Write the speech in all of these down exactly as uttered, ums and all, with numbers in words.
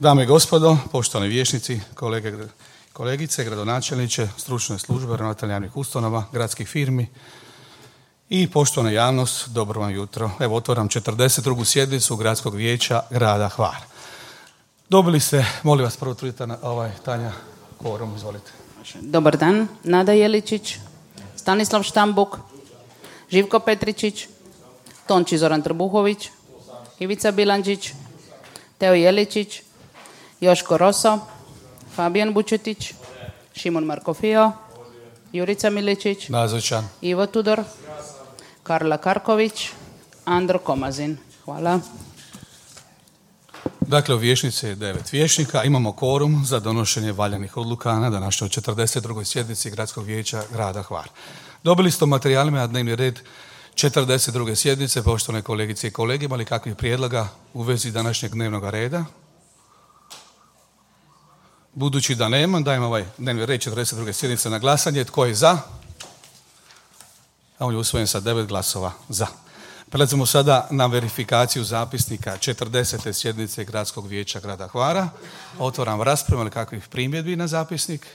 Dame i gospodo, poštovani vijećnici, kolege, kolegice, gradonačelniče, stručne službe, ravnatelji javnih ustanova, gradskih firmi i poštovana javnost, dobro vam jutro. Evo, otvaram četrdeset drugu sjednicu Gradskog vijeća grada Hvara. Dobili ste, molim vas, prvo trudite na ovaj Tanja kvorum, izvolite. Dobar dan, Nada Jeličić, Stanislav Štambuk, Živko Petričić, Tonči Zoran Trbuhović, Ivica Bilandžić, Teo Jeličić, Joško Roso, Fabijan Bučetić, Šimon Markofio, Jurica Miličić, Nazočan. Ivo Tudor, Karla Karković, Andro Komazin. Hvala. Dakle, u vijećnici je devet vijećnika. Imamo kvorum za donošenje valjanih odluka na današnjoj četrdeset drugoj sjednici Gradskog vijeća grada Hvara. Dobili ste u materijalima na dnevni red četrdeset druge sjednice. Poštovane kolegice i kolege, imali kakvih prijedloga u vezi današnjeg dnevnog reda? Budući da nema, dajem ovaj dnevni red četrdeset druge sjednice na glasanje. Tko je za? A on je usvojen sa devet glasova za. Prelazimo sada na verifikaciju zapisnika četrdesete sjednice Gradskog vijeća grada Hvara. Otvaram raspravu, ali kakvih primjedbi na zapisnik?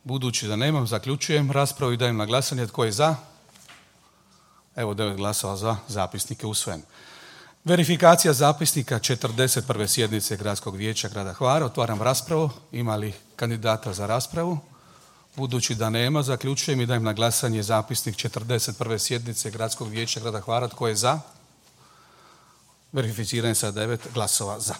Budući da nemam, zaključujem raspravu i dajem na glasanje. Tko je za? Evo, devet glasova za, zapisnik je usvojen. Verifikacija zapisnika četrdeset prve sjednice Gradskog vijeća grada Hvara. Otvaram raspravu. Ima li kandidata za raspravu? Budući da nema, zaključujem i dajem na glasanje zapisnik četrdeset prve sjednice Gradskog vijeća grada Hvara. Tko je za? Verificiran sa devet glasova za.